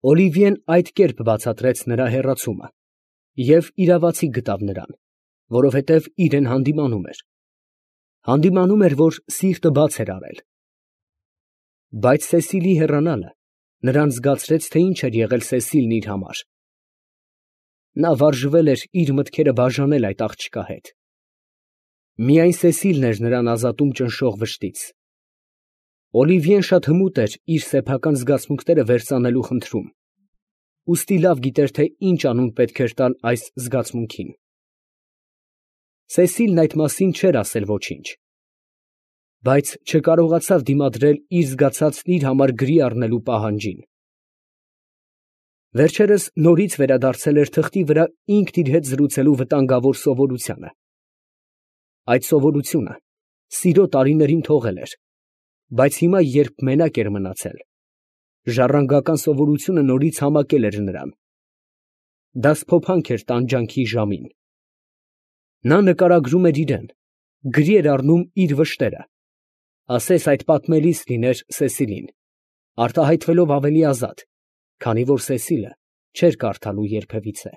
Օլիվիեն այդ կերպ բացատրեց նրա հեռացումը և իրավացի գտավ նրան, որովհետև իրեն հանդիմանում էր. հանդիմանում էր, որ սիրտը բաց էր արել։ Բայց Սեսիլի հեռանալը նրան զգացրեց, թե ինչ էր եղել Սեսիլն իր համար. նա վարժվել էր իր մտքերը բաժանել այդ աղջկա հետ։ Միայն Սեսիլն էր նրան ազատում ճնշող վշտից։ Օլիվիեն շատ հմուտ էր իր սեփական զգացմունքները վերծանելու խնդրում, ուստի լավ գիտեր, թե ինչ անուն պետք էր տալ այս զգացմունքին։ Սեսիլն այդ մասին չէր ասել ոչինչ, բայց չկարողացավ դիմադրել իր զգացածն իր համար գրի առնելու պահանջին։ Վերջերս նորից վերադարձել էր թղթի վրա ինքն իր հետ զրուցելու վտանգավոր սովորությանը։ Այդ սովորությունը սիրո տարիներին թողել էր, բայց հիմա, երբ մենակ էր մնացել, ժառանգական սովորությունը նորից համակել էր նրան։ Դա սփոփանք էր տանջանքի ժամին։ Նա նկարագրում էր իրեն, գրի էր առնում իր վշտերը, ասես այդ պատմելիս լիներ Սեսիլին, արտահայտվելով ավելի ազատ, քանի որ Սեսիլը չէր կարդալու երբևիցե։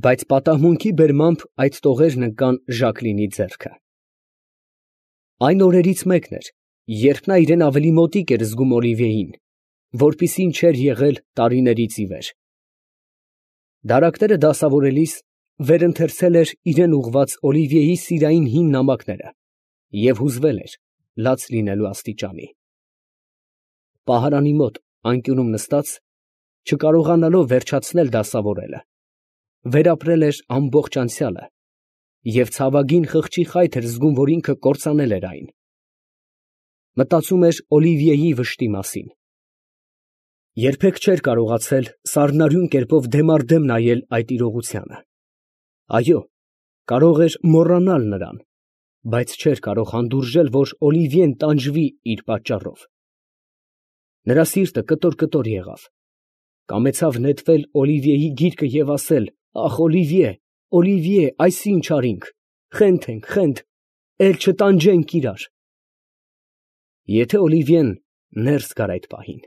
Բայց պատահմունքի բերմամբ այդ տողերն ընկան Ժակլինի ձեռքը։ Այն օրերից մեկն էր, երբ նա իրեն ավելի մոտիկ էր զգում Օլիվիեին, որպիսին չէր եղել տարիներից ի վեր։ Դարակները դասավորելիս վերընթերցել էր իրեն ուղղված Օլիվիեի սիրային հին նամակները և հուզվել էր լաց լինելու աստիճանի։ Պահարանի մոտ անկյունում նստած, չկարողանալով վերջացնել դասավորելը, վերապրել էր ամբողջ անցյալը և ցավագին խղճի խայթ էր զգում, որ ինքը կործանել էր այն։ Մտածում էր Օլիվիեի վշտի մասին։ Երբեք չէր կարողացել սառնարյուն կերպով դեմ առ դեմ նայել այդ իրողությանը։ Այո, կարող էր մոռանալ նրան, բայց չէր կարող հանդուրժել, որ Օլիվիեն տանջվի իր պատճառով։ Նրա սիրտը կտոր եղավ, կամեցավ նետվել Օլիվիեի գիրկը և ասել. «Ախ, Օլիվիե, Օլիվիե, այս ինչ արինք, խենթ, էլ չտանջենք իրար»։ Եթե Օլիվիեն ներս գար այդ պահին։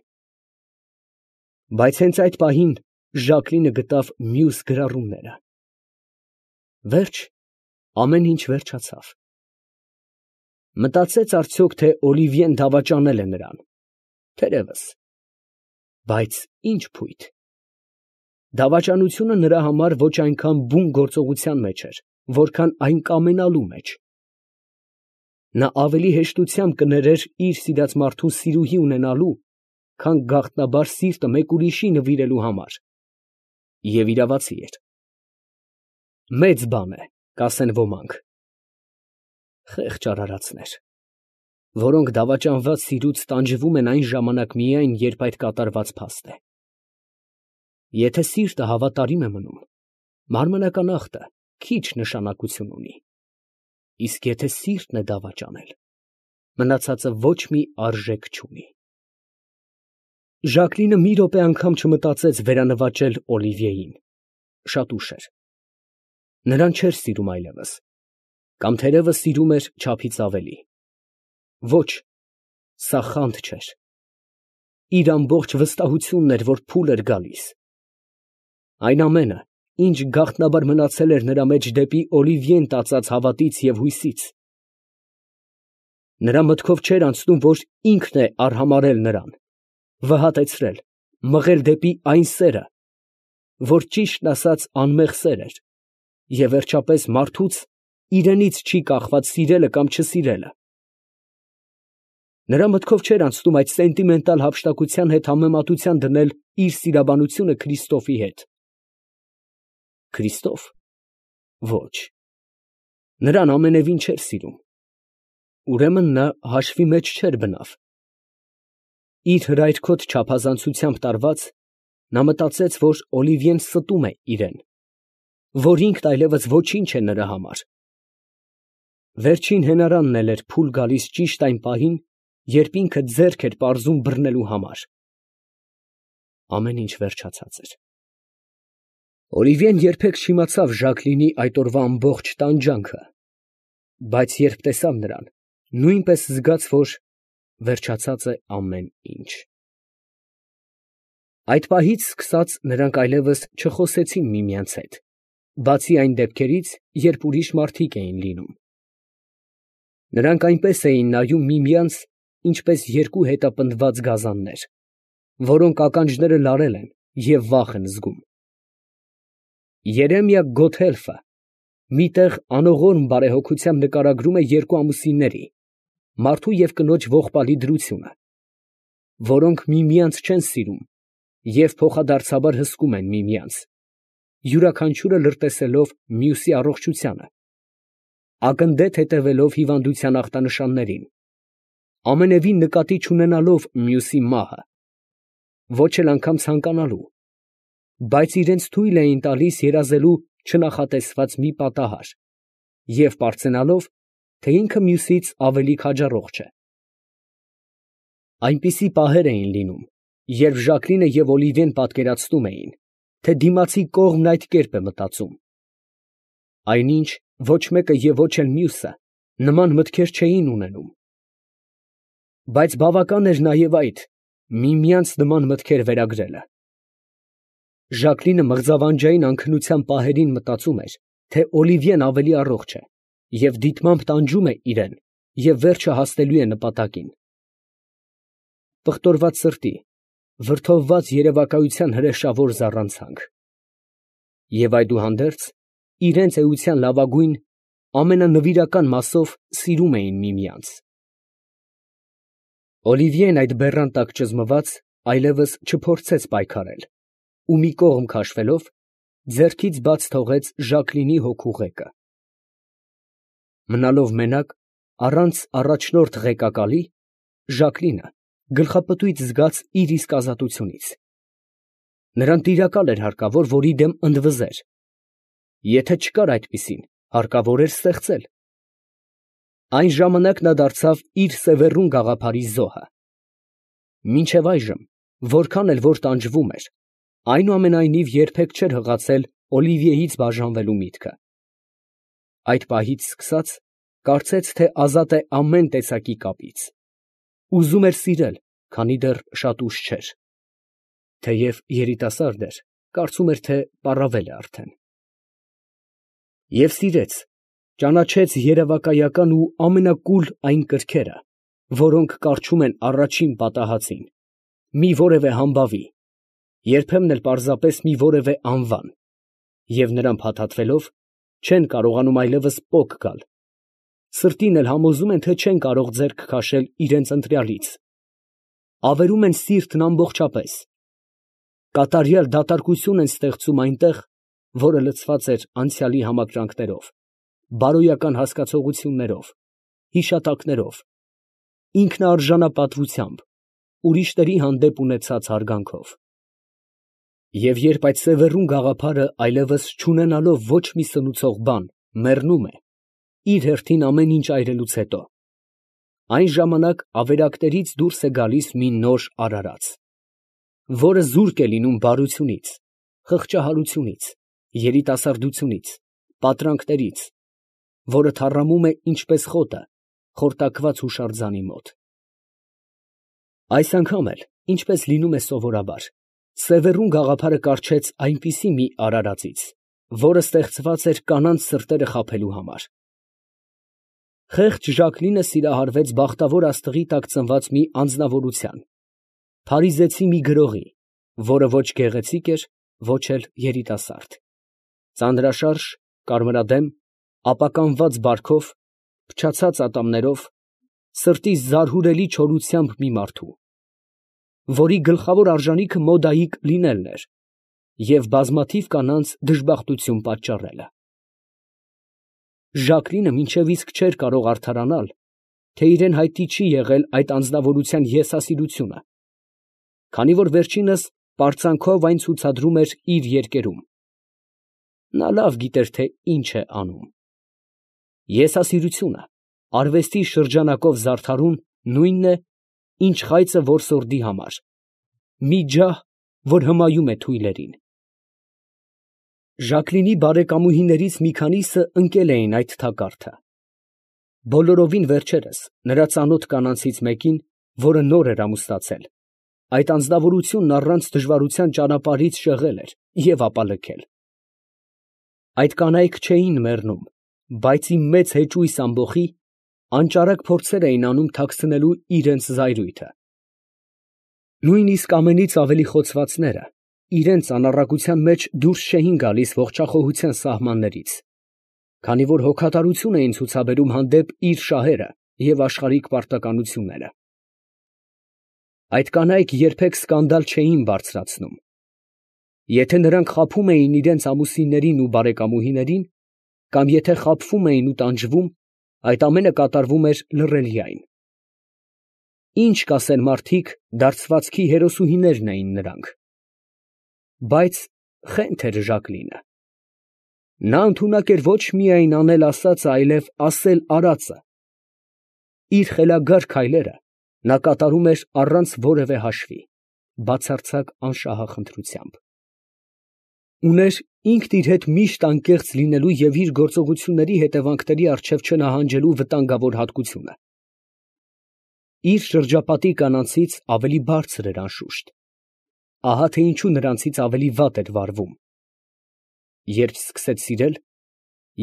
Բայց հենց այդ պահին Ժակլինը գտավ մյուս գրառումները։ Վերջ, ամեն ինչ վերջացավ։ Մտածեց արդյոք, թե Օլիվիեն դավաճանել է նրան։ Թերևս, բայց ինչ փույթ։ Դավաճանությունը նրա համար ոչ այնքան բուն գործողության մեջ էր, որքան այն կամենալու մեջ։ Նա ավելի հեշտությամբ կներեր իր սիրած մարդու սիրուհի ունենալու, քան գաղտնաբար սիրտը մեկ ուրիշի նվիրելու համար։ Եվ իրավացի էր։ Մեծ բան է, կասեն ոմանք։ Խեղճ արարածներ, որոնք դավաճանված սիրուց տանջվում են այն ժամանակ միայն, երբ այդ կատարված փաստ է։ Եթե սիրտը հավատարիմ է մնում, մարմնական ախտը քիչ նշանակություն ունի։ Իսկ եթե սիրտն է դավաճանել, մնացածը ոչ մի արժեք չունի։ Ժակլինը մի րոպե անգամ չմտածեց վերանվաճել Օլիվիեին։ Շատ ուշ էր։ Նրան չէր սիրում այլևս, կամ թերևս սիրում էր չափից ավելի։ Ոչ, սա խանդ չէր։ Իր ամբողջ վստահությունն էր, որ փուլ էր գալիս։ Այն ամենը, ինչ գաղտնաբար մնացել էր նրա մեջ դեպի Օլիվիեն տածած հավատից և հույսից։ Նրա մտքով չէր անցնում, որ ինքն է արհամարհել նրան, վհատեցրել, մղել դեպի այն սերը, որ ճիշտն ասած անմեղ սեր էր, և վերջապես մարդուց իրենից չի կախված սիրելը կամ չսիրելը։ Նրա մտքով չէր անցնում այդ սենտիմենտալ հափշտակության հետ համեմատության դնել իր սիրաբանությունը Քրիստոֆի հետ։ Քրիստոֆ։ Ոչ, նրան ամենևին չէր սիրում։ Ուրեմն նա հաշվի մեջ չէր բնավ։ Իր հրայրքոտ չափազանցությամբ տարված, նա մտածեց, որ Օլիվիեն ստում է իրեն, որ ինքն այլևս ոչինչ է նրա համար։ Վերջին հենարանն էլ էր փուլ գալիս ճիշտ այն պահին, երբ ինքը ձեռք էր պարզում բռնելու համար։ Ամեն ինչ վերջացած էր։ Օլիվիեն երբեք չիմացավ Ժակլինի այդ օրվա ամբողջ տանջանքը, բայց երբ տեսավ նրան, նույնպես զգաց, որ վերջացած է ամեն ինչ։ Այդ պահից սկսած նրանք այլևս չխոսեցին միմյանց հետ, բացի այն դեպքերից, երբ ուրիշ մարդիկ էին լինում. նրանք այնպես էին նայում միմյանց, ինչպես երկու հետապնդված գազաններ, որոնք ականջները լարել են և վախ են զգում։ Երեմիա Գոթհելֆը մի տեղ անողորմ բարեհոգությամբ նկարագրում է երկու ամուսինների՝ մարդու և կնոջ ողբալի դրությունը, որոնք միմյանց չեն սիրում և փոխադարձաբար հսկում են միմյանց, յուրաքանչյուրը լրտեսելով մյուսի առողջությանը, ակնդեթ հետևելով հիվանդության ախտանշաններին, ամենևին նկատի չունենալով մյուսի մահը, ոչ էլ անգամ ցանկանալու, բայց իրենց թույլ էին տալիս երազելու չնախատեսված մի պատահար և պարծենալով, թե ինքը մյուսից ավելի քաջառող չէ։ Այնպիսի պահեր էին լինում, երբ Ժակլինը և Օլիվիեն պատկերացնում էին, թե դիմացի կողմն այդ կերպ է մտածում։ Այնինչ ոչ մեկը և ոչ էլ մյուսը նման մտքեր չէին ունենում։ Բայց բավական էր նաև այդ, միմյանց նման մտքեր վերագրելը։ Ժակլինը մղձավանջային անքնության պահերին մտածում էր, թե Օլիվիեն ավելի առողջ է և դիտմամբ տանջում է իրեն և վերջը հասնելու է նպատակին։ Պղտորված սրտի, վրդովված երևակայության հրեշավոր զառանցանք։ Եվ այդուհանդերձ, իրենց էության լավագույն, ամենանվիրական մասով սիրում էին միմյանց։ Օլիվիեն այդ բեռան տակ ճզմված այլևս չփորձեց պայքարել ու մի կողմ քաշվելով, ձեռքից բաց թողեց Ժակլինի հոգու ղեկը։ Մնալով մենակ, առանց առաջնորդ ղեկակալի, Ժակլինը գլխապտույտ զգաց իր իսկ ազատությունից։ Նրան տիրակալ էր հարկավոր, որի դեմ ընդվզեր. եթե չկար այդպիսին, հարկավոր էր ստեղծել։ Այն ժամանակ նա դարձավ իր սևեռուն գաղափարի զոհը։ Մինչև այժմ, որքան էլ որ տանջվում էր, այնուամենայնիվ երբեք չէր հղացել Օլիվիեից բաժանվելու միտքը։ Այդ պահից սկսած, կարծեց, թե ազատ է ամեն տեսակի կապից։ Ուզում էր սիրել, քանի դեռ շատ ուշ չէր։ Թեև երիտասարդ էր, կարծում էր, թե պառավել է արդեն։ Եվ սիրեց, ճանաչեց երևակայական ու ամենակուլ այն կրքերը, որոնք կառչում են առաջին պատահածին, մի որևէ համբավի, երբեմն էլ պարզապես մի որևէ անվան, և նրան փաթաթվելով, չեն կարողանում այլևս պոկ գալ, սրտին էլ համոզում են, թե չեն կարող ձեռք քաշել իրենց ընտրյալից, ավերում են սիրտն ամբողջապես, կատարյալ դատարկություն են ստեղծում այնտեղ, որը լցված էր անցյալի համակրանքներով, բարոյական հասկացություններով, հիշատակներով, ինքնաարժանապատվությամբ, ուրիշների հանդեպ ունեցած հարգանքով։ Եվ երբ այդ սևեռուն գաղափարը այլևս չունենալով ոչ մի սնուցող բան, մեռնում է, իր հերթին ամեն ինչ այրելուց հետո, այն ժամանակ ավերակներից դուրս է գալիս մի նոր արարած, որը զուրկ է լինում բարությունից, խղճահարությունից, երիտասարդությունից, պատրանքներից, որը թառամում է ինչպես խոտը խորտակված հուշարձանի մոտ։ Այս անգամ էլ, ինչպես լինում է սովորաբար, սևեռուն գաղափարը կառչեց այնպիսի մի արարածից, որը ստեղծված էր կանանց սրտերը խաբելու համար։ Խեղճ Ժակլինը սիրահարվեց բախտավոր աստղի տակ ծնված մի անձնավորության, փարիզեցի մի գրողի, որը ոչ գեղեցիկ էր, ոչ էլ երիտասարդ, ծանրաշարժ, կարմրադեմ, ապականված բարքով, փչացած ատամներով, սրտի զարհուրելի չորությամբ մի մարդու, որի գլխավոր արժանիքը մոդայիկ լինելն էր և բազմաթիվ կանանց դժբախտություն պատճառելը։ Ժակլինը մինչև իսկ չէր կարող արդարանալ, թե իրեն հայտնի չի եղել այդ անձնավորության եսասիրությունը, քանի որ վերջինս պարծանքով այն ցուցադրում էր իր երկերում։ Նա լավ գիտեր, թե ինչ է անում։ Եսասիրությունը արվեստի շրջանակով զարդարուն նույնն է, ինչ խայծը որսորդի համար, մի ջահ, որ հմայում է թույլերին։ Ժակլինի բարեկամուհիներից մի քանիսը ընկել էին այդ թակարդը։ Բոլորովին վերջերս նրա ծանոթ կանանցից մեկին, որը նոր էր ամուսնացել, այդ անձնավորությունն առանց դժվարության ճանապարհից շեղել էր և ապա լքել։ Այդ կանայք չէին մեռնում, բայց ի մեծ հեճույս ամբոխի անճարակ փորձեր էին անում թաքցնելու իրենց զայրույթը։ Նույնիսկ ամենից ավելի խոցվածները իրենց անառակության մեջ դուրս չէին գալիս ողջախոհության սահմաններից, քանի որ հոգատարություն էին ցուցաբերում հանդեպ իր շահերը և աշխարհիկ պարտականությունները։ Այդ կանայք երբեք սկանդալ չէին բարձրացնում։ Եթե նրանք խաբում էին իրենց ամուսիններին ու բարեկամուհիներին, կամ եթե խաբվում էին ու տանջվում, այդ ամենը կատարվում էր լռելիայն։ Ինչ կասեն մարդիկ, դարձվածքի հերոսուհիներն էին նրանք։ Բայց խենթ էր Ժակլինը։ Նա ընդունակ էր ոչ միայն անել ասածը, այլև ասել արածը։ Իր խելագար քայլերը նա կատարում էր առանց որևէ հաշվի, բացարձակ անշահախնդրությամբ։ Ուներ ինքն իր հետ միշտ անկեղծ լինելու և իր գործողությունների հետևանքների առջև չնահանջելու վտանգավոր հատկությունը։ Իր շրջապատի կանանցից ավելի բարձր էր անշուշտ, ահա թե ինչու նրանցից ավելի վատ էր վարվում։ Երբ սկսեց սիրել,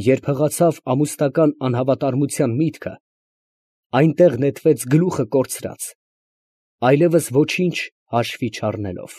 երբ հղացավ ամուսնական անհավատարմության միտքը, այնտեղ նետվեց գլուխը կորցրած, այլևս ոչինչ հաշվի չառնելով։